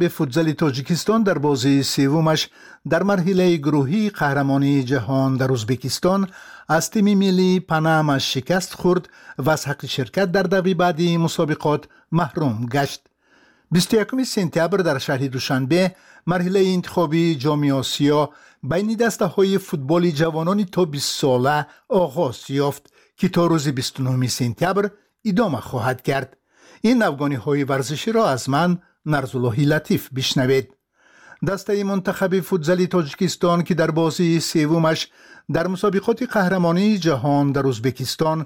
Футзали Тоҷикистон дар бозии севумаш дар марҳилаи гурӯҳии қаҳрамонии ҷаҳон дар Ӯзбекистон аз тими миллии Панама шикаст хӯрд ва аз ҳаққи ширкат дар даври баъдии мусобиқот маҳрум гашт. 21 сентябр дар шаҳри Душанбе марҳилаи интихобии Ҷоми Осиё байни дастаҳои футболи ҷавонони то 20 сола оғоз ёфт, ки то рӯзи 29 сентябр идома хоҳад кард. Ин навгониҳои варзиширо аз ман, Нарзуллоҳи Латиф, бишнавед. Дастаи мунтахаби футзали Тоҷикистон, ки дар бозии севумаш дар мусобиқоти қаҳрамонии ҷаҳон дар Ӯзбекистон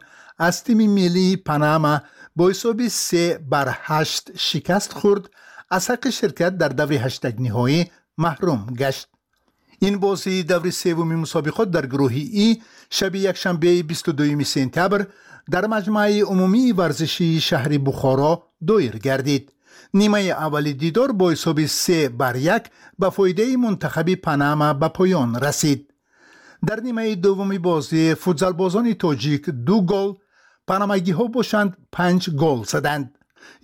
аз тими миллии Панама бо ҳисоби 3-8 шикаст хӯрд, аз ҳаққи ширкат дар даври ҳаштакниҳоӣ маҳрум гашт. Ин бозии даври севуми мусобиқот дар гурӯҳи И шаби якшанбеи 22 сентябр дар маҷмӯаи умумии варзишии шаҳри Бухоро доир гардид. Нимаи аввали дидор бо ҳисоби 3-1 ба фоидаи мунтахаби Панама ба поён расид. Дар нимаи дуввуми бозӣ футзалбозони тоҷик 2 гол, панамагиҳо бошанд 5 гол заданд.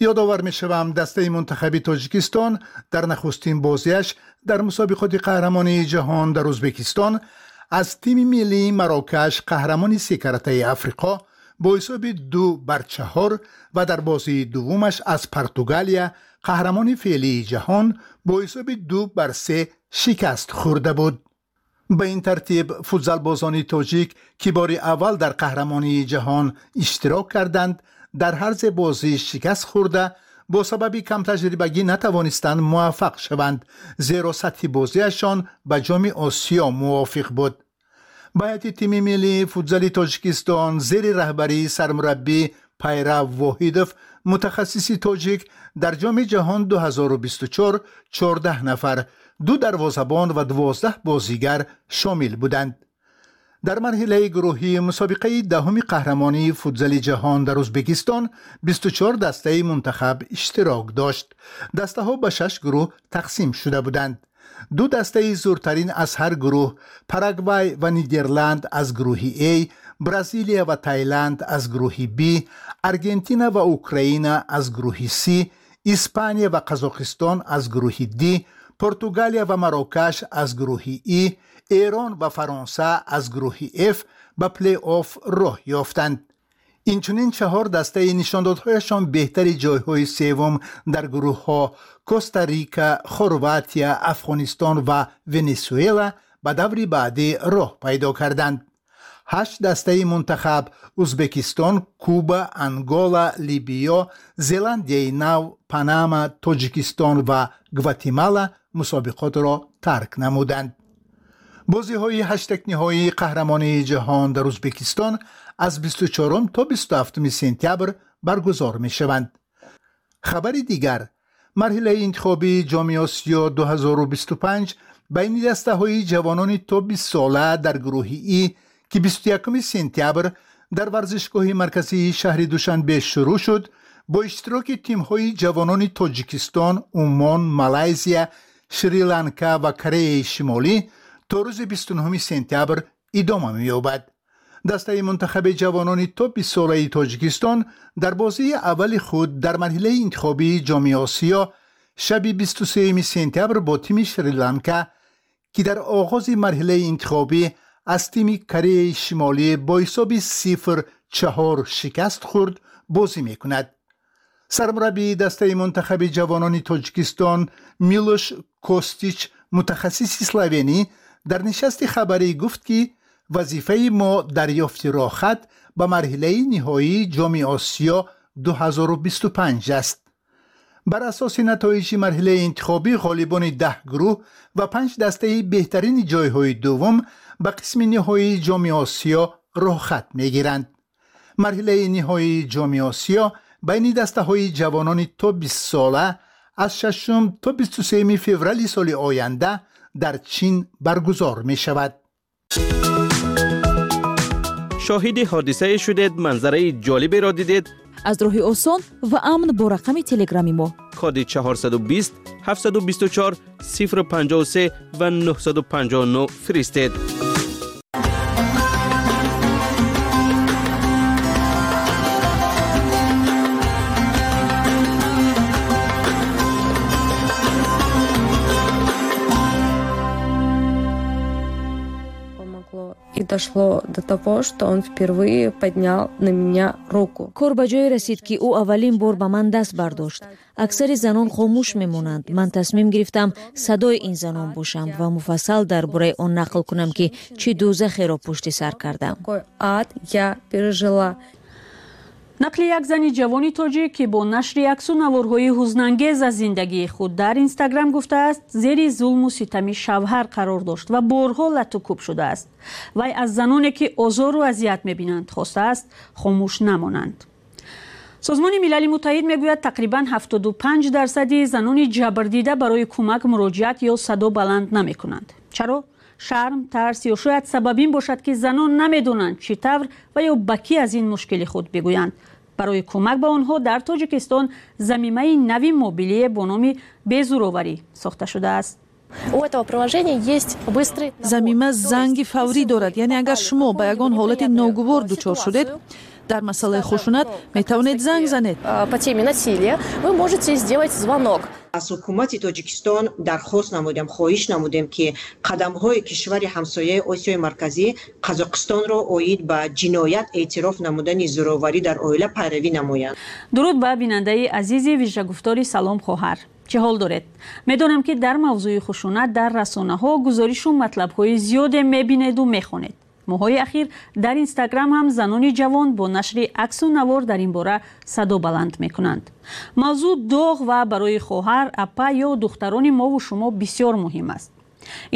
Ёдовар мешавам, дастаи мунтахаби Тоҷикистон дар нахустин бозиаш дар мусобиқоти қаҳрамонии ҷаҳон дар Ӯзбекистон аз тими миллии Марокаш, қаҳрамони секаратаи Африқо, бо ҳисоби 2-4 ва дар бозии дуввумаш аз Португалия, қаҳрамони феълии ҷаҳон, бо ҳисоби 2-3 шикаст хӯрда буд. Ба ин тартиб футзалбозони тоҷик, ки бори аввал дар қаҳрамонии ҷаҳон иштирок карданд, дар ҳар се бозӣ шикаст хӯрда, бо сабаби камтаҷрибагӣ натавонистанд муваффақ шаванд, зеро сатҳи бозиашон ба Ҷоми Осиё мувофиқ буд. Ба ҳайати тими миллии футзали Тоҷикистон зери раҳбарии сармураббӣ Пайрав Воҳидов, мутахассиси тоҷик, дар Ҷоми ҷаҳон 2024 14 нафар, 2 дарвозабон ва 12 бозигар шомил буданд. Дар марҳилаи гурӯҳии мусобиқаи даҳуми қаҳрамонии футзали ҷаҳон дар Ӯзбекистон 24 дастаи мунтахаб иштирок дошт. Дастаҳо ба 6 гурӯҳ тақсим шуда буданд. Ду дастаи зуртарин аз ҳар гурӯҳ, Парагвай ва Нидерланд аз гурӯҳи А, Бразилия ва Таиланд аз гурӯҳи Б, Аргентина ва Украина аз гурӯҳи С, Испания ва Қазоқистон аз гурӯҳи Д, Португалия ва Марокаш аз гурӯҳи И, Эрон ва Фаронса аз гурӯҳи Ф ба плей-офф роҳ ёфтанд. Инчунин 4 дастаи нишондодҳояшон беҳтари ҷойҳои севум дар гурӯҳҳо Коста-Рика, Хорватия, Афғонистон ва Венесуэла ба даври баъдӣ роҳ пайдо карданд. 8 дастаи мунтахаб Ӯзбекистон, Куба, Ангола, Либиё, Зеландияи Нав, Панама, Тоҷикистон ва Гватемала мусобиқотро тарк намуданд. Бозиҳои ҳаштакниҳоии қаҳрамонии ҷаҳон дар Ӯзбекистон аз 24 то 27 сентябр баргузор мешаванд. Хабари дигар: марҳилаи интихобии Ҷоми Осиё 2025 байни дастаҳои ҷавонони то 20 сола дар гурӯҳи И, ки 21 сентябр дар варзишгоҳи марказии шаҳри Душанбе шурӯъ шуд, бо иштироки тимҳои ҷавонони Тоҷикистон, Умон, Малайзия, Шри-Ланка ва Кореяи Шимолӣ то рӯзи 29 сентябр идома меёбад. Дастаи мунтахаби ҷавонони то 20 солаи Тоҷикистон дар бозии аввали худ дар марҳилаи интихобии Ҷоми Осиё шаби 23 сентябр бо тими Шри-Ланка, ки дар оғози марҳилаи интихобӣ аз тими Кореяи Шимолӣ бо ҳисоби 0-4 шикаст хӯрд, бозӣ мекунад. Сармураббии дастаи мунтахаби ҷавонони Тоҷикистон Милош Костич, мутахассиси словенӣ, дар нишасти хабарӣ гуфт, ки вазифаи мо дарёфти роҳхат ба марҳилаи ниҳоии Ҷоми Осиё 2025 аст. Бар асоси натоиҷи марҳилаи интихобӣ ғолибони 10 гурӯҳ ва 5 дастаи беҳтарини ҷойҳои дуввум ба қисми ниҳоии Ҷоми Осиё роҳхат мегиранд. Марҳилаи ниҳоии Ҷоми Осиё байни дастаҳои ҷавонони то 20 сола аз 6 то 23 феврали соли оянда дар Чин баргузор мешавад. Шоҳиди ҳодисае шудед, манзараи ҷолиберо дидед. Аз роҳи осон ва амн бо рақами телеграми мо коди 420 724 053 ва 959 фиристед. Дошло до того, что он впервые поднял на меня руку. Кор ба ҷое расид, ки ӯ аввалин бор ба ман даст бардошт. Аксари занон хомӯш мемонанд. Ман тасмим гирифтам садои ин занон бошам ва муфассал дар бораи он нақл кунам, ки чӣ дӯзахеро пушти сар кардам. Какой ад я пережила. Нақли як зани ҷавони тоҷик, ки бо нашри аксу наворҳои ҳузнангез аз зиндагии худ дар Инстаграм гуфтааст, зери зулму ситами шавҳар қарор дошт ва борҳо лату кӯб шудааст. Вай аз заноне, ки озору азият мебинанд, хостааст хомӯш намонанд. Созмони Милали Муттаҳид мегӯяд, тақрибан 75 дарсади занони ҷабрдида барои кӯмак муроҷиат ё садо баланд намекунанд. Чаро? Шарм, тарс ё шояд сабаб ин бошад, ки занон намедонанд, чӣ тавр ва ё ба кӣ аз ин мушкили худ бигӯянд. Барои кӯмак ба онҳо дар Тоҷикистон замимаи нави мобилие бо номи «Безӯроварӣ» сохта шудааст. У этого приложения есть быстрый Замима занги фаврӣ дорад, яъне агар шумо ба ягон ҳолати ногувор дучор шудед дар масъалаи хушунат, метавонед занг занед. По теме насилия вы можете сделать звонок. Аз ҳукумати Тоҷикистон дархост намудем, хоҳиш намудем, ки қадамҳои кишвари ҳамсояи Осиёи Марказӣ Қазоқистонро оид ба ҷиноят эътироф намудани зӯроварӣ дар оила пайравӣ намоянд. Дуруд ба бинандаи азизи вижагуфтори «Салом, хоҳар». Чӣ ҳол доред? Медонам, ки дар мавзӯи хушунат дар расонаҳо гузоришу матлабҳои зиёде мебинеду мехонед. Моҳҳои ахир дар Инстаграм ҳам занони ҷавон бо нашри аксу навор дар ин бора садо баланд мекунанд. Мавзӯъ доғ ва барои хоҳар, апа ё духтарони мову шумо бисёр муҳим аст.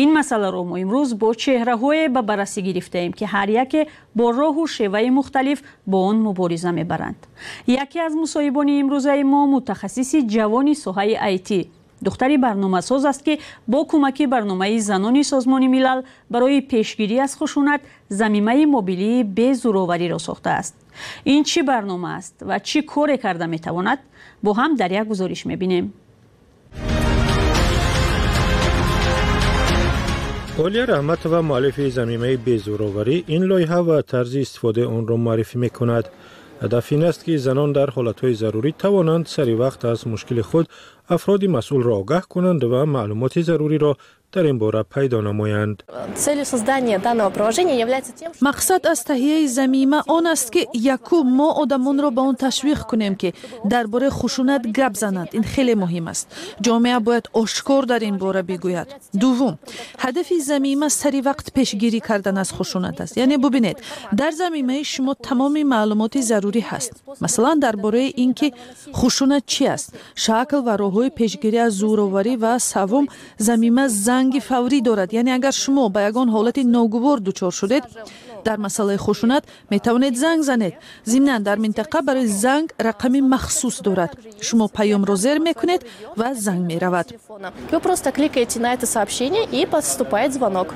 Ин масъаларо мо имрӯз бо чеҳраҳое ба баррасӣ гирифтаем, ки ҳар яке бо роҳу шеваи мухталиф бо он мубориза мебаранд. Яке аз мусоҳибони имрӯзаи мо мутахассиси ҷавони соҳаи IT, духтари барномасоз аст, ки бо кӯмаки барномаи занони Созмони Милал барои пешгирӣ аз хушунат замимаи мобилии «Безӯровариро» сохтааст. Ин чӣ барнома аст ва чӣ коре карда метавонад, бо ҳам дар як гузориш мебинем. Олия Раҳматова, муаллифи замимаи «Безӯроварӣ», ин лоиҳа ва тарзи истифодаи онро муаррифӣ мекунад. Ҳадаф ин аст, ки занон дар ҳолатҳои зарурӣ тавонанд сари вақт аз мушкили худ афроди масъулро огаҳ кунанд ва маълумоти заруриро дар ин бора пайдо намоянд. Мақсад аз таҳияи замима он аст, ки якум, мо одамонро ба он ташвиқ кунем, ки дар бораи хушунат гап зананд. Ин хеле муҳим аст, ҷомеа бояд ошкор дар ин бора бигӯяд. Дуввум, ҳадафи замима сари вақт пешгирӣ кардан аз хушунат аст. Яъне бубинед, дар замимаи шумо тамоми маълумоти зарурӣ ҳаст, масалан, дар бораи ин ки хушунат чӣ аст, шакл ва роҳҳои пешгирӣ аз зӯроварӣ. Ва саввум, замима занги фаврӣ дорад, яъне агар шумо ба ягон ҳолати ногувор дучор шудед дар масъалаи хушунат, метавонед занг занед. Зимнан, дар минтақа барои занг рақами махсус дорад. Шумо паёмро зер мекунед ва занг меравад. Вы просто кликаете на это сообщение, и поступает звонок.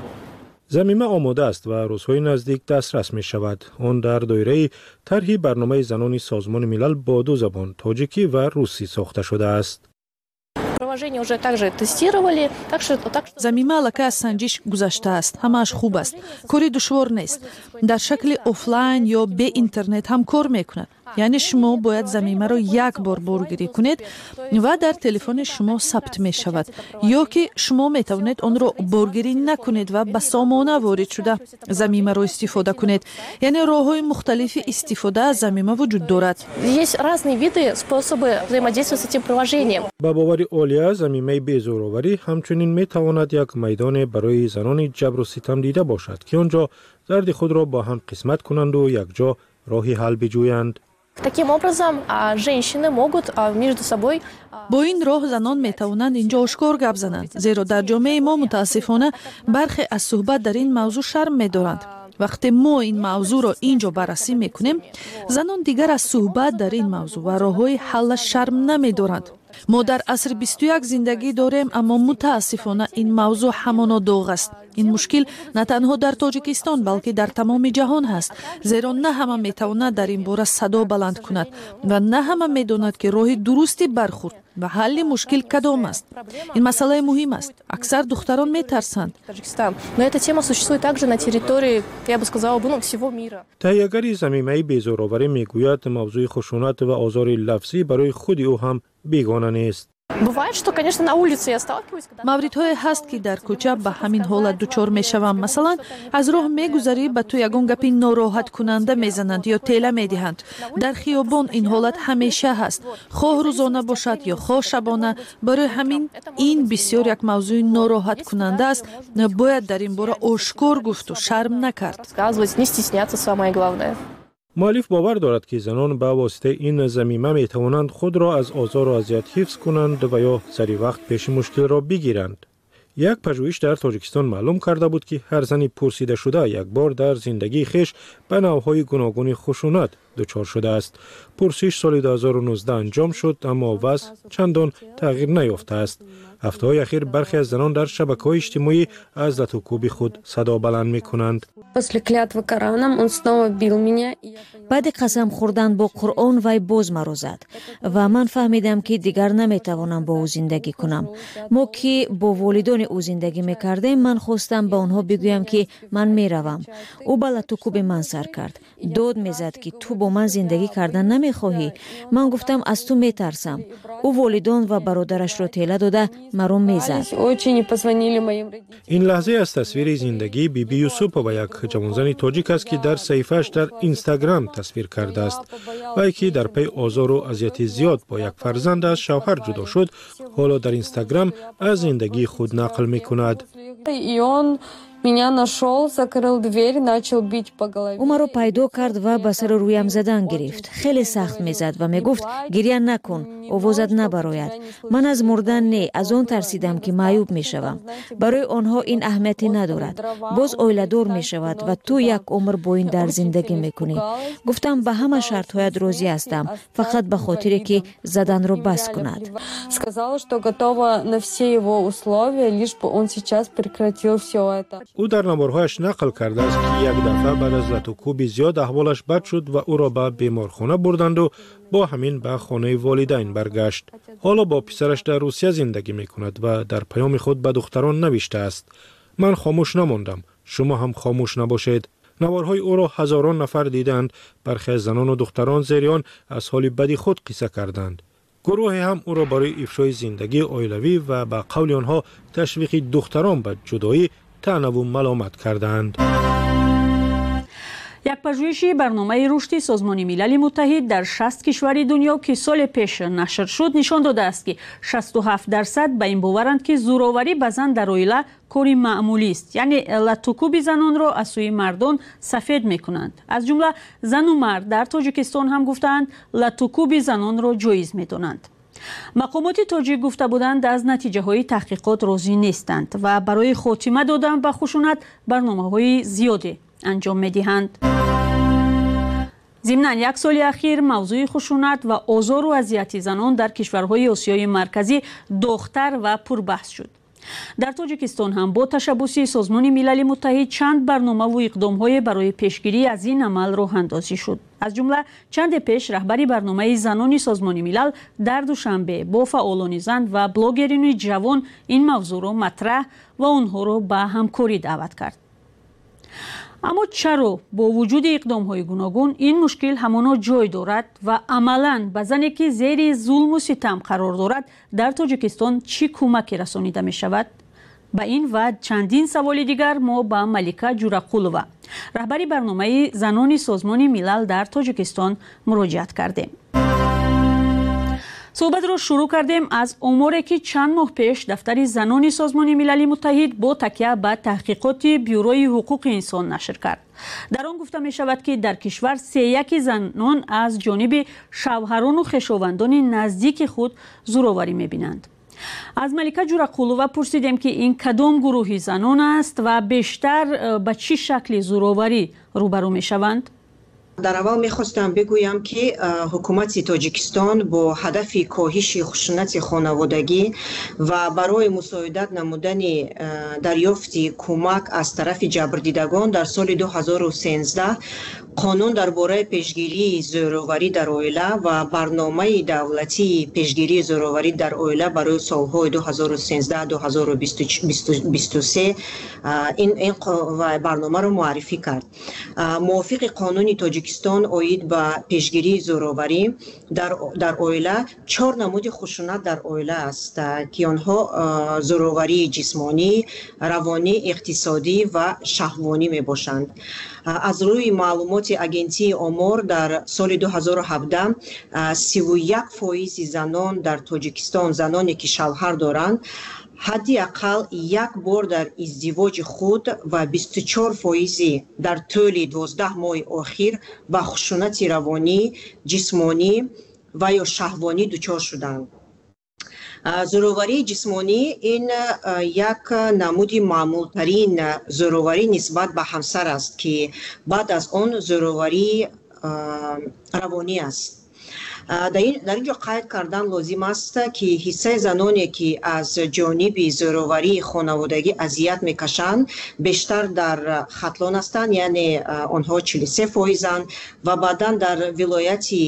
Замима омода аст ва рӯзҳои наздик дастрас мешавад. Он дар доираи тарҳи барномаи занони Созмони Милал бо ду забон, тоҷикӣ ва русӣ, сохта шудааст. Приложение уже также тестировали, так что так что Замима аллакай аз санҷиш гузаштааст, ҳамааш хуб аст, кори душвор нест. Дар шакли офлайн ё бе интернет ҳам кор мекунад, яъне шумо бояд замимаро як бор боргирӣ кунед ва дар телефони шумо сабт мешавад, ё ки шумо метавонед онро боргирӣ накунед ва ба сомона ворид шуда замимаро истифода кунед. Яъне роҳҳои мухталифи истифода аз замима вуҷуд дорад. Есть разные виды, способы взаимодействия с этим приложением. Ба бовари Олия, замимаи «Безӯроварӣ» ҳамчунин метавонад як майдоне барои занони ҷабру ситам дида бошад, ки он ҷо дарди худро бо ҳам қисмат кунанду якҷо роҳи ҳал биҷӯянд. Таким образом, женщины могут между собой Бо ин роҳ занон метавонанд инҷо ошкор гап зананд, зеро дар ҷомеаи мо, мутаассифона, бархе аз суҳбат дар ин мавзӯъ шарм медоранд. Вақте мо ин мавзӯъро ин ҷо баррасӣ мекунем, занон дигар аз суҳбат дар ин мавзӯъ ва роҳҳои ҳаллаш шарм намедоранд. Мо дар асри 21 зиндагӣ дорем, аммо мутаассифона ин мавзӯъ ҳамоно доғ аст. Ин мушкил на танҳо дар Тоҷикистон, балки дар тамоми ҷаҳон ҳаст, зеро на ҳама метавонад дар ин бора садо баланд кунад ва на ҳама медонад, ки роҳи дурусти бархурд ва ҳалли мушкил кадом аст. Ин масъалаи муҳим аст, аксар духтарон метарсанд. Но эта тема существует также на территории, я бы сказала бы, ну, всего мира. Таҳиягари замимаи «Безӯроварӣ» мегӯяд, мавзӯи хушунат ва озори лафзӣ барои худи ӯ ҳам бегона нест. Бывает, что, конечно, на улице я сталкиваюсь. Мавридҳое ҳаст, ки дар кӯча ба ҳамин ҳолат дучор мешавам. Масалан, аз роҳ мегузарӣ, ба ту ягон гапи нороҳаткунанда мезананд ё тела медиҳанд. Дар хиёбон ин ҳолат ҳамеша ҳаст, хоҳ рӯзона бошад ё хоҳ шабона. Барои ҳамин ин бисёр як мавзӯи нороҳаткунанда аст. Бояд дар ин бора ошкор гуфту шарм накард. Не стесняться, самое главное. Муаллиф бовар дорад, ки занон ба воситаи ин замима метавонанд худро аз озору азият ҳифз кунанд ва ё сари вақт пеши мушкилро бигиранд. Як пажӯҳиш дар Тоҷикистон маълум карда буд, ки ҳар зани пурсидашуда як бор дар зиндагии хеш ба навъҳои гуногуни хушунат дучор шудааст. Пурсиш соли 2019 анҷом шуд, аммо вазъ чандон тағйир наёфтааст. Ҳафтаҳои ахир бархе аз занон дар шабакаҳои иҷтимоӣ аз латукӯби худ садо баланд мекунанд. После клятвы Кораном он снова бил меня. Баъди қасам хӯрдан бо Қуръон вай боз маро зад ва ман фаҳмидам, ки дигар наметавонам бо ӯ зиндагӣ кунам. Мо ки бо волидони ӯ зиндагӣ мекардем, ман хостам ба онҳо бигӯям, ки ман меравам. Ӯ ба латукӯби ман сар кард, дод мезад, ки ту бо ман зиндагӣ кардан намехоҳӣ. Ман гуфтам, аз ту метарсам. Ӯ волидон ва бародарашро тела дода маро мезад. Ин лаҳзае аз тасвири зиндагии Биби Юсупова, як ҷавонзани тоҷик аст, ки дар саҳифааш дар Инстаграм тасвир кардааст. Вай, ки дар пайи озору азияти зиёд бо як фарзанд аз шавҳар ҷудо шуд, ҳоло дар Инстаграм аз зиндагии худ нақл мекунад. И он меня нашел, закрыл дверь, начал бить по голове. Ӯ маро пайдо кард ва ба сару рӯям задан гирифт. Хеле сахт мезад ва мегуфт: «Гиря накун, овозат набарояд». Ман аз мурдан не, аз он тарсидам, ки маъюб мешавам. Барои онҳо ин аҳамияте надорад, боз оиладор мешавад ва ту як умр бо ин дард зиндагӣ мекунӣ. Гуфтам, ба ҳама шартҳоят розӣ ҳастам, фақат ба хотире ки заданро бас кунад. Сказала, что готова на все его условия, лишь бы он сейчас прекратил все это. Ӯ дар наворҳояш нақл кардааст, ки як дафъа баъд аз латукӯби зиёд аҳволаш бад шуд ва ӯро ба беморхона бурданду бо ҳамин ба хонаи волидайн баргашт. Ҳоло бо писараш дар Русия зиндагӣ мекунад ва дар паёми худ ба духтарон навиштааст: «Ман хомӯш намондам, шумо ҳам хомӯш набошед». Наворҳои ӯро ҳазорон нафар дидаанд. Бархе аз занону духтарон зери он аз ҳоли бади худ қисса карданд. Гурӯҳе ҳам ӯро барои ифшои зиндагии оилавӣ ва ба қавли онҳо ташвиқи духтарон ба ҷудоӣ таънаву маломат кардаанд. Як пажӯҳиши Барномаи рушди Созмони Милали Муттаҳид дар 60 кишвари дунё, ки соли пеш нашр шуд, нишон додааст, ки 67% ба ин боваранд, ки зӯроварӣ ба зан дар оила кори маъмулист, яъне латукӯби занонро аз сӯи мардон сафед мекунанд. Аз ҷумла зану мард дар Тоҷикистон ҳам гуфтаанд, латукӯби занонро ҷоиз медонанд. Мақомоти тоҷик гуфта буданд, аз натиҷаҳои таҳқиқот розӣ нестанд ва барои хотима додан ба хушунат барномаҳои зиёде анҷом медиҳанд. Зимнан, як соли ахир мавзӯи хушунат ва озору азияти занон дар кишварҳои Осиёи Марказӣ доғтар ва пурбаҳс шуд. Дар Тоҷикистон ҳам бо ташаббуси Созмони Милали Муттаҳид чанд барномаву иқдомҳое барои пешгирӣ аз ин амал роҳандозӣ шуд. Аз ҷумла чанде пеш раҳбари барномаи занони Созмони Милал дар Душанбе бо фаъолони зан ва блогерини ҷавон ин мавзӯъро матраҳ ва онҳоро ба ҳамкорӣ даъват кард. Аммо чаро бо вуҷуди иқдомҳои гуногун ин мушкил ҳамоно ҷой дорад ва амалан ба зане, ки зери зулму ситам қарор дорад, дар Тоҷикистон чӣ кӯмаке расонида мешавад? Ба ин ва чандин саволи дигар мо ба Малика Ҷурақулова, раҳбари барномаи занони Созмони Милал дар Тоҷикистон, муроҷиат кардем. Суҳбатро шурӯъ кардем аз оморе, ки чанд моҳ пеш дафтари занони Созмони Милали Муттаҳид бо такя ба таҳқиқоти Бюрои ҳуқуқи инсон нашр кард. Дар он гуфта мешавад, ки дар кишвар сеяки занон аз ҷониби шавҳарону хешовандони наздики худ зӯроварӣ мебинанд. Аз Малика Ҷурақулова пурсидем, ки ин кадом гурӯҳи занон аст ва бештар ба чӣ шакли зӯроварӣ рӯбарӯ мешаванд. Дар аввал мехостам бигӯям, ки ҳукумати Тоҷикистон бо ҳадафи коҳиши хушунати хонаводагӣ ва барои мусоидат намудани дарёфти кӯмак аз тарафи ҷабрдидагон дар соли 2013 Қонун дар бораи пешгирии зӯроварӣ дар оила ва барномаи давлатии пешгирии зӯроварӣ дар оила барои солҳои 2013-2023 ин барномаро муаррифӣ кард. Мувофиқи қонуни Тоҷикистон оид ба пешгирии зӯроварӣ дар оила, чор намуди хушунат дар оила аст, ки онҳо зӯроварии ҷисмонӣ, равонӣ, иқтисодӣ ва шаҳвонӣ мебошанд. Аз рӯи маълумоти Агентии омор, дар соли 2017 31 фоизи занон дар Тоҷикистон, заноне ки шавҳар доранд, ҳадди ақал як бор дар издивоҷи худ ва 24 фоизи дар тӯли 12 моҳи охир ба хушунати равонӣ, ҷисмонӣ ва ё шаҳвонӣ дучор шуданд. Зӯроварии ҷисмонӣ ин як намуди маъмултарин зӯроварӣ нисбат ба ҳамсар аст, ки баъд аз он зӯроварии равонӣ аст. Дар ин ҷо қайд кардан лозим аст, ки ҳиссаи заноне, ки аз ҷониби зӯроварии хонаводагӣ азият мекашанд, бештар дар Хатлон ҳастанд, яъне онҳо 43 фоизанд, ва баъдан дар вилояти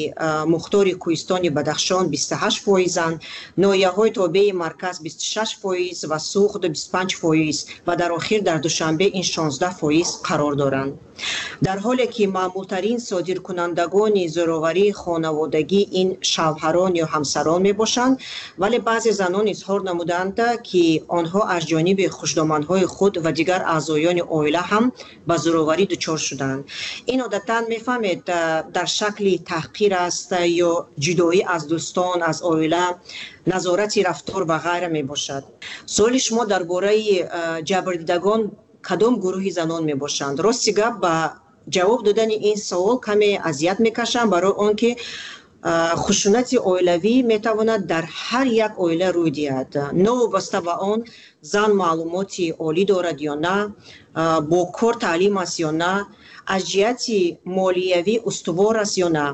мухтори Кӯҳистони Бадахшон 28 фоизанд, ноҳияҳои тобеи марказ 26 фоиз ва Суғд 25 фоиз ва дар охир дар Душанбе ин 16 фоиз қарор доранд. Дар ҳоле ки маъмултарин содиркунандагони зӯроварии хонаводагӣ ин шавҳарон ё ҳамсарон мебошанд, вале баъзе занон изҳор намуданд, ки онҳо аз ҷониби хушдоманҳои худ ва дигар аъзоёни оила ҳам ба зӯроварӣ дучор шуданд. Ин одатан, мефаҳмед, дар шакли таҳқир аст ё ҷудоӣ аз дӯстон, аз оила, назорати рафтор ва ғайра мебошад. Суоли шумо дар бораи ҷабрдидагон кадом гурӯҳи занон мебошанд. Рости гап, ба ҷавоб додани ин савол каме азият мекашам, барои он ки хушунати оилавӣ метавонад дар ҳар як оила рӯй диҳад, новобаста ба он зан маълумоти олӣ дорад ё на, бо кор таълим аст ё на, аз ҷиҳати молиявӣ устувор аст ё на.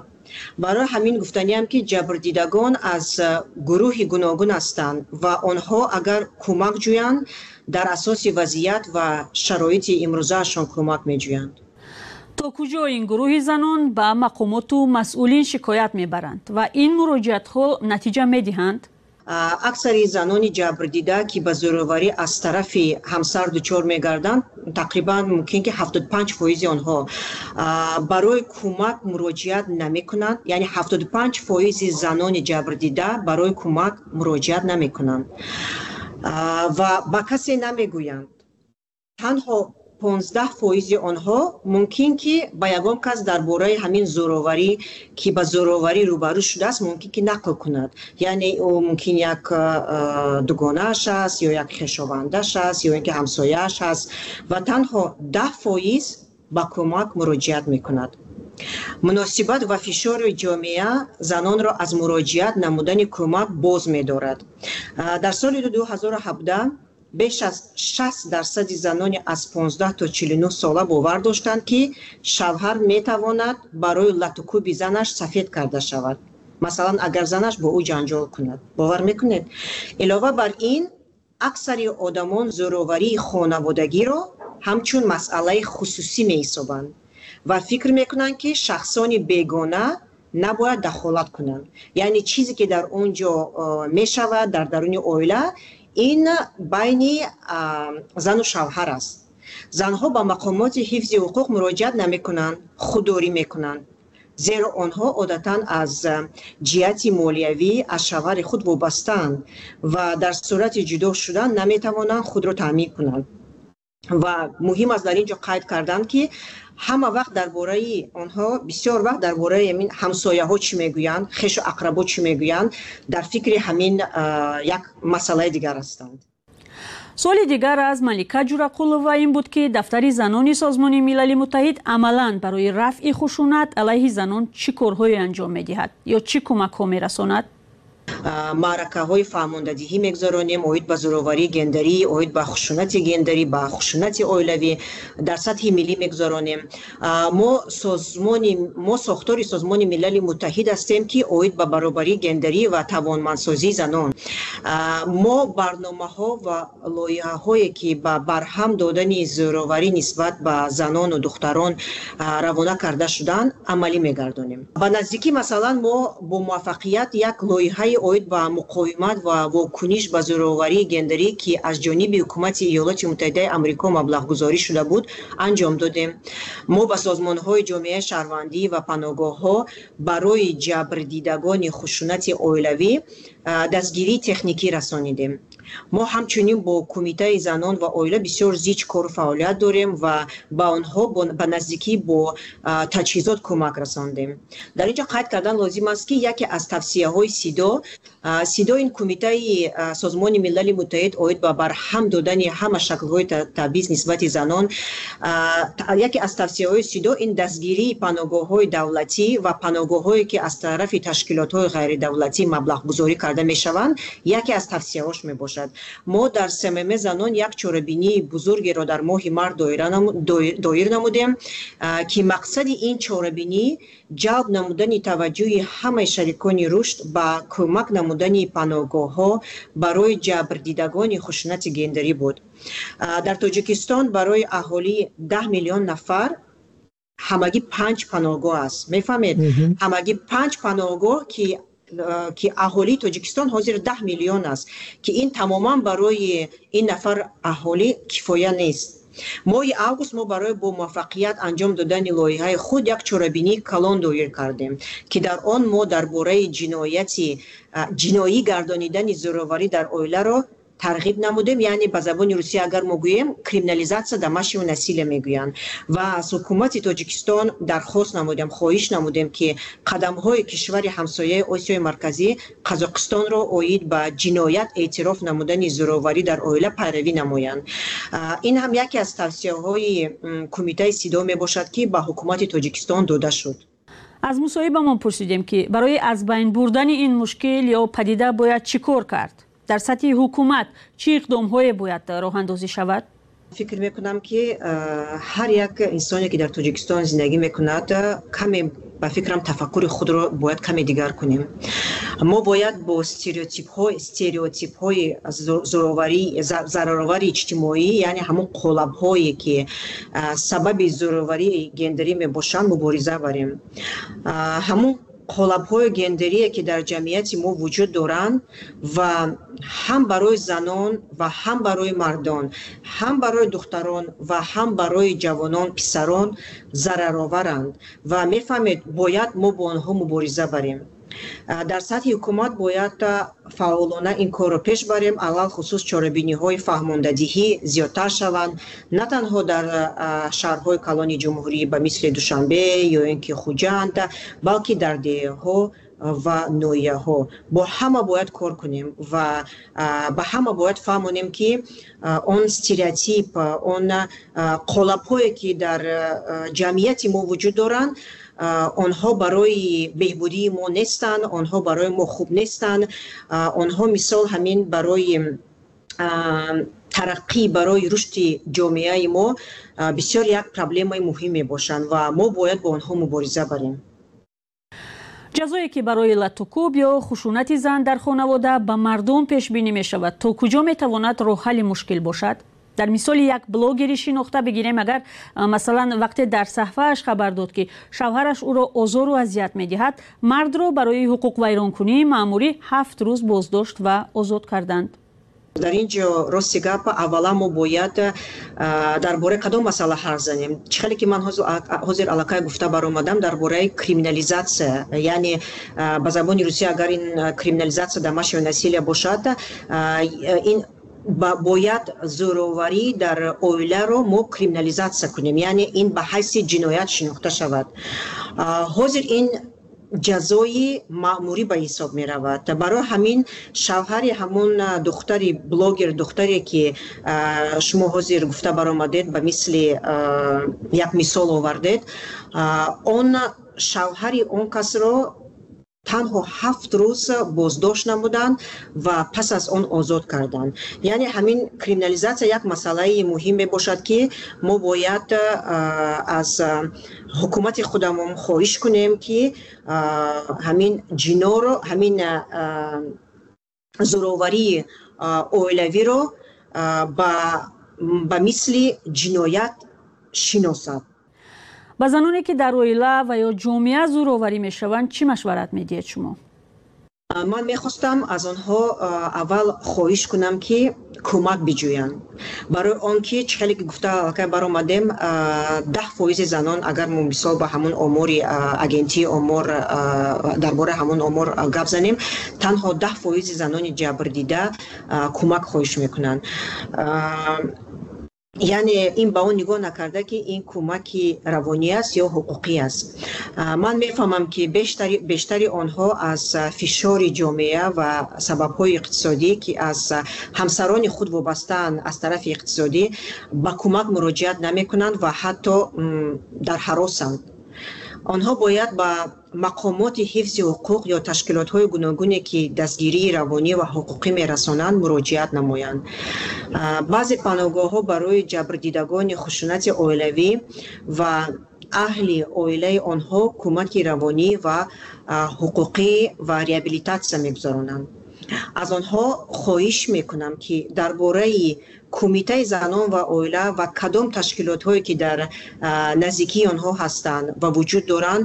Барои ҳамин гуфтаниам, ки ҷабрдидагон аз гурӯҳи гуногун ҳастанд ва онҳо агар кӯмак ҷӯянд, дар асоси вазъият ва шароити имрӯзаашон кӯмак меҷӯянд. То куҷо ин гурӯҳи занон ба мақомоту масъулин шикоят мебаранд ва ин муроҷиатҳо натиҷа медиҳанд? Аксари занони ҷабрдида, ки ба зӯроварӣ аз тарафи ҳамсар дучор мегарданд, тақрибан мумкин ки 75 фоизи онҳо барои кӯмак муроҷиат намекунанд, яъне 75 фоизи занони ҷабрдида барои кӯмак муроҷиат намекунанд ва ба касе намегӯянд. Танҳо 15 фоизи онҳо мумкин ки ба ягон кас дар бораи ҳамин зӯроварӣ, ки ба зӯроварӣ рӯбарӯ шудааст, мумкин ки нақл кунад, яъне ӯ мумкин як дугонааш аст ё як хешовандаш аст ё ин ки ҳамсояаш аст, ва танҳо 10 фоиз ба кӯмак муроҷиат мекунад. Муносибат ва фишори ҷомеа занонро аз муроҷиат намудани кӯмак боз медорад. Дар соли 2017 беш аз 60 дарсади занони аз 15 то 49 сола бовар доштанд, ки шавҳар метавонад барои латукӯби занаш сафед карда шавад, масалан, агар занаш бо ӯ ҷанҷол кунад. Бовар мекунед? Илова бар ин, аксари одамон зӯроварии хонаводагиро ҳамчун масъалаи хусусӣ меҳисобанд ва фикр мекунанд, ки шахсони бегона набояд дахолат кунанд, яъне чизе ки дар он ҷо мешавад дар даруни оила, ин байни зану шавҳар аст. Занҳо ба мақомоти ҳифзи ҳуқуқ муроҷиат намекунанд, худдорӣ мекунанд, зеро онҳо одатан аз ҷиҳати молиявӣ аз шавҳари худ вобастаанд ва дар сурати ҷудо шудан наметавонанд худро таъмин кунанд. Ва муҳим аст дар ин ҷо қайд кардан, ки ҳама вақт дар бораи онҳо, бисёр вақт дар бораи ҳамин ҳамсояҳо чӣ мегӯянд, хешу ақрабо чӣ мегӯянд, дар фикри ҳамин як масъалаи дигар ҳастанд. Суоли дигар аз Малика Ҷурақулова ин буд, ки дафтари занони Созмони Милали Муттаҳид амалан барои рафъи хушунат алайҳи занон чӣ корҳое анҷом медиҳад ё чӣ кӯмакҳо мерасонад? Маъракаҳои фаҳмондадиҳӣ мегузаронем оид ба зӯроварии гендерӣ, оид ба хушунати гендерӣ, ба хушунати оилавӣ дар сатҳи миллӣ мегузаронем. Мо созмони, мо сохтори Созмони Милали Муттаҳид ҳастем, ки оид ба баробарии гендерӣ ва тавонмандсозии занон. Мо барномаҳо ва лоиҳаҳое, ки ба барҳам додани зӯроварӣ нисбат ба занону духтарон равона карда шуданд, амалӣ мегардонем. Ба наздикӣ, масалан, мо бо муваффақият як лоиҳаи оид ба муқовимат ва вокуниш ба зӯроварии гендерӣ, ки аз ҷониби ҳукумати Иёлоти Муттаҳидаи Амрико маблағгузорӣ шуда буд, анҷом додем. Мо ба созмонҳои ҷомеаи шаҳрвандӣ ва паноҳгоҳҳо барои ҷабрдидагони хушунати оилавӣ дастгирии техникӣ расонидем. Мо ҳамчунин бо Кумитаи занон ва оила бисёр зич кору фаъолият дорем ва ба онҳо ба наздикӣ бо таҷҳизот кӯмак расондем. Дар ин ҷо қайд кардан лозим аст, ки яке аз тавсияҳои СИДО, СИДО ин Кумитаи Созмони Милали Муттаҳид оид ба барҳам додани ҳама шаклҳои табъиз нисбати занон, яке аз тавсияҳои СИДО ин дастгирии паноҳгоҳҳои давлатӣ ва паноҳгоҳҳое, ки аз тарафи ташкилотҳои ғайридавлатӣ маблағгузорӣ карда мешаванд, яке аз тавсияҳош мебошад. Мо дар СММ занон як чорабинии бузургеро дар моҳи март доир намудем, ки мақсади ин чорабинӣ ҷалб намудани таваҷҷӯҳи ҳамаи шарикони рушд ба кӯмак намудани паноҳгоҳҳо барои ҷабрдидагони хушунати гендерӣ буд. Дар Тоҷикистон барои аҳолии 10 миллион нафар ҳамагӣ панҷ паноҳгоҳ аст, мефаҳмед? Ҳамагӣ панҷ паноҳгоҳ, ки аҳолии Тоҷикистон ҳозир 10 миллион аст, ки ин тамоман барои ин нафар аҳолӣ кифоя нест. Моҳи август мо барои бо муваффақият анҷом додани лоиҳаи худ як чорабинии калон доир кардем, ки дар он мо дар бораи ҷинояти ҷиноӣ гардонидани зӯроварӣ дар оиларо тарғиб намудем, яъне ба забони русия агар мо гӯем, криминализация домашнего насилия мегӯянд. Ва аз ҳукумати Тоҷикистон дархост намудем, хоҳиш намудем, ки қадамҳои кишвари ҳамсояи Осиёи Марказӣ Қазоқистонро оид ба ҷиноят эътироф намудани зӯроварӣ дар оила пайравӣ намоянд. Ин ҳам яке аз тавсияҳои Кумитаи СИДО мебошад, ки ба ҳукумати Тоҷикистон дода шуд. Аз мусоҳибамон пурсидем, ки барои аз байн бурдани ин мушкил ё падида бояд чӣ кор кард, дар сатҳи ҳукумат чӣ иқдомҳое бояд роҳандозӣ шавад. Фикр мекунам, ки ҳар як инсоне, ки дар Тоҷикистон зиндагӣ мекунад, каме, ба фикрам, тафаккури худро бояд каме дигар кунем. Мо бояд бо стереотипҳои зӯроварӣ, зараровари иҷтимоӣ, яъне ҳамон қолабҳое, ки сабаби зӯроварии гендерӣ мебошанд, мубориза барем. Ҳамон қолабҳои гендерие, ки дар ҷамъияти мо вуҷуд доранд ва ҳам барои занон ва ҳам барои мардон, ҳам барои духтарон ва ҳам барои ҷавонон, писарон зарароваранд ва, мефаҳмед, бояд мо бо онҳо мубориза барем. Дар сатҳи ҳукумат бояд фаъолона ин корро пеш барем. Алалхусус чорабиниҳои фаҳмондадиҳӣ зиёдтар шаванд, на танҳо дар шаҳрҳои калони ҷумҳурӣ ба мисли Душанбе ё ин ки Хуҷанд, балки дар деҳҳо ва ноҳияҳо. Бо ҳама бояд кор кунем ва ба ҳама бояд фаҳмонем, ки он стереотип, он қолабҳое, ки дар ҷамъияти мо вуҷуд доранд, онҳо барои беҳбудии мо нестанд, онҳо барои мо хуб нестанд. Онҳо, мисол, ҳамин барои тараққӣ, барои рушди ҷомеаи мо бисёр як проблемаи муҳим мебошанд ва мо бояд бо онҳо мубориза барем. Ҷазое, ки барои латукӯб ё хушунати зан дар хонавода ба мардум пешбинӣ мешавад, то куҷо метавонад роҳҳалли мушкил бошад? Дар мисоли як блогери шинохта бигирем агар, масалан, вақте дар саҳфааш хабар дод, ки шавҳараш ӯро озору азият медиҳад, мардро барои ҳуқуқвайронкунии маъмурӣ 7 рӯз боздошт ва озод карданд. Дар ин ҷо, рости гап, аввалан мо бояд дар бораи кадом масъала ҳарф занем? Чӣ хеле ки ман ҳозир аллакай гуфта баромадам дар бораи криминализация, яъне ба забони русия агар ин криминализация домашнего насилия бошад, ин бояд зӯроварӣ дар оиларо мо криминализация кунем, яъне ин ба ҳайси ҷиноят шинохта шавад. Ҳозир ин ҷазои маъмурӣ ба ҳисоб меравад. Барои ҳамин шавҳари ҳамон духтари блогер, духтаре, ки шумо ҳозир гуфта баромадед, ба мисли як мисол овардед, он шавҳари он касро Танҳо 7 рӯз боздошт намуданд ва пас аз он озод карданд. Яъне ҳамин криминализатсия як масъалаи муҳим мебошад, ки мо бояд аз ҳукумати худамон хоҳиш кунем, ки ҳамин ҷиноро, ҳамин зӯроварии оилавиро ба мисли ҷиноят шиносад. Ба заноне ки дар оила ва ё ҷомеа зӯроварӣ мешаванд, чӣ машварат медиҳед шумо? Ман мехостам аз онҳо аввал хоҳиш кунам, ки кӯмак биҷӯянд, барои он ки чӣ хеле ки гуфта аллакай баромадем, 10% занон, агар мо мисол ба ҳамон омори агентии омор, дар бораи ҳамон омор гап занем, танҳо 10% занони ҷабрдида кӯмак хоҳиш мекунанд. Яъне ин ба он нигоҳ накарда, ки ин кӯмаки равонӣ аст ё ҳуқуқӣ аст. Ман мефаҳмам, ки бештари онҳо аз фишори ҷомеа ва сабабҳои иқтисодӣ, ки аз ҳамсарони худ вобастаанд аз тарафи иқтисодӣ, ба кӯмак муроҷиат намекунанд ва ҳатто дар ҳаросанд. Онҳо бояд ба мақомоти ҳифзи ҳуқуқ ё ташкилотҳои гуногуне, ки дастгирии равонӣ ва ҳуқуқӣ мерасонанд, муроҷиат намоянд. Баъзе паноҳгоҳҳо барои ҷабрдидагони хушунати оилавӣ ва аҳли оилаи онҳо кӯмаки равонӣ ва ҳуқуқӣ ва реабилитатсия мегузаронанд. Аз онҳо хоҳиш мекунам, ки дар бораи кумитаи занон ва оила ва кадом ташкилотҳое, ки дар наздикии онҳо ҳастанд ва вуҷуд доранд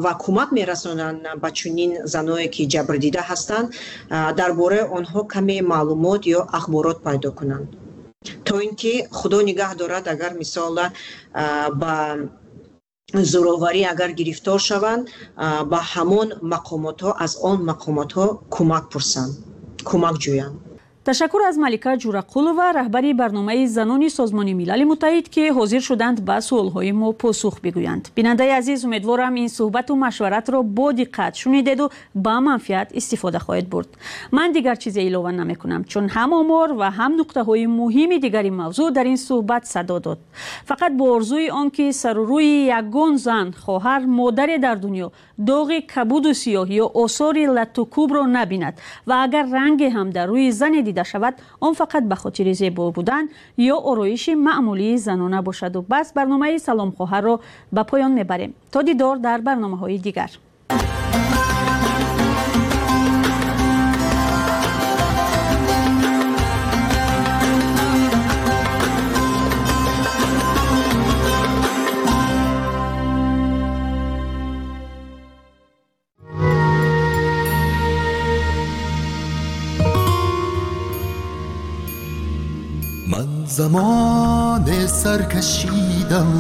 ва кӯмак мерасонанд ба чунин заное, ки ҷабрдида ҳастанд, дар бораи онҳо каме маълумот ё ахборот пайдо кунанд, то ин ки худо нигаҳ дорад, агар мисол ба зӯроварӣ агар гирифтор шаванд, ба ҳамон мақомотҳо, аз он мақомотҳо кӯмак пурсанд, кӯмак ҷӯянд. Ташаккур аз Малика Ҷурақулова, раҳбари барномаи занони Созмони Милали Муттаҳид, ки ҳозир шуданд ба суолҳои мо посух бигӯянд. Бинандаи азиз, умедворам ин суҳбату машваратро бо диққат шунидеду ба манфиат истифода хоҳед бурд. Ман дигар чизе илова намекунам, чун ҳам омор ва ҳам нуқтаҳои муҳими дигари мавзӯъ дар ин суҳбат садо дод. Фақат бо орзуи он ки сару рӯи ягон зан, хоҳар, модаре дар дунё доғи кабуду сиёҳ ё осори латтукӯбро набинад ва агар ранге ҳам дар рӯи зане дида шавад, он фақат ба хотири зебо будан ё ороиши маъмулии занона бошаду бас. Барномаи Салом хоҳарро ба поён мебарем. То дидор дар барномаҳои дигар. زمان سرکشیدم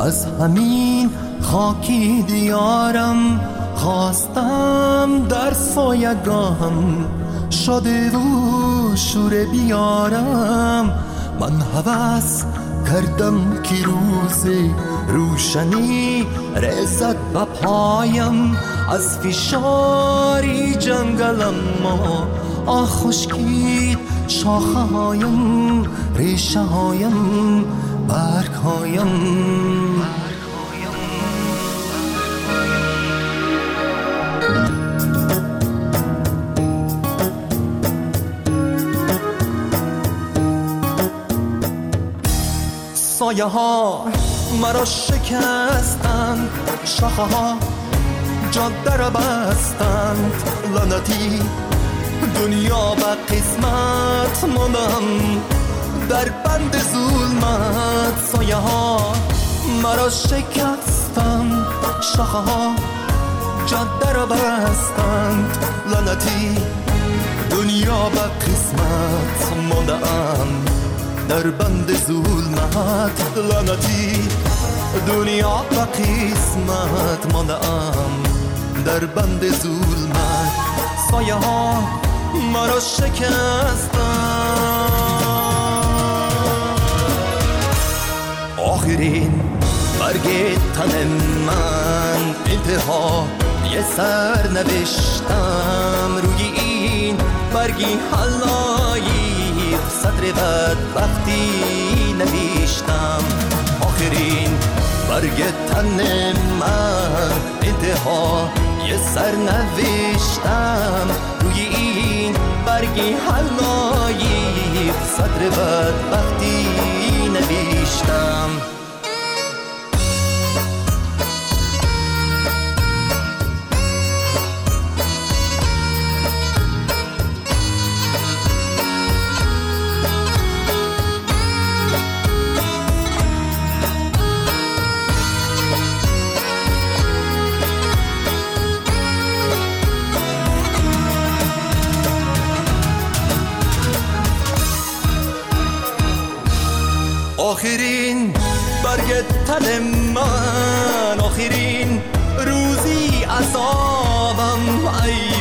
از همین خاکی دیارم، خواستم در سایه‌گاهم شاده و شور بیارم. من هوس کردم که روز روشنی رسد به پایم، از فشاری جنگلم ما آه خشکید شاخه‌هایم، ریشه‌هایم، برگ‌هایم. سایه ها مرا شکستند، شاخه ها جاده را بستند، لعنتی دنیا به قسمت ماندم در بند ظلمت. سایه ها مرا شکستند، شاخه ها جاده را بستند، لعنتی دنیا به قسمت ماندم در بند ظلمت. لعنتی دنیا به قسمت ماندم در بند ظلمت. سایه ها مرا شکستند. آخرین برگ تن من انتها یه سر نوشتم، روی این برگی حلایی صدر بدبختی نوشتم. آخرین برگ تن من انتها یه سر نوشتم روی این برگی حلایی صدر بدبختی نوشتم. آخرین برگ تن من، آخرین روزی عذابم، ای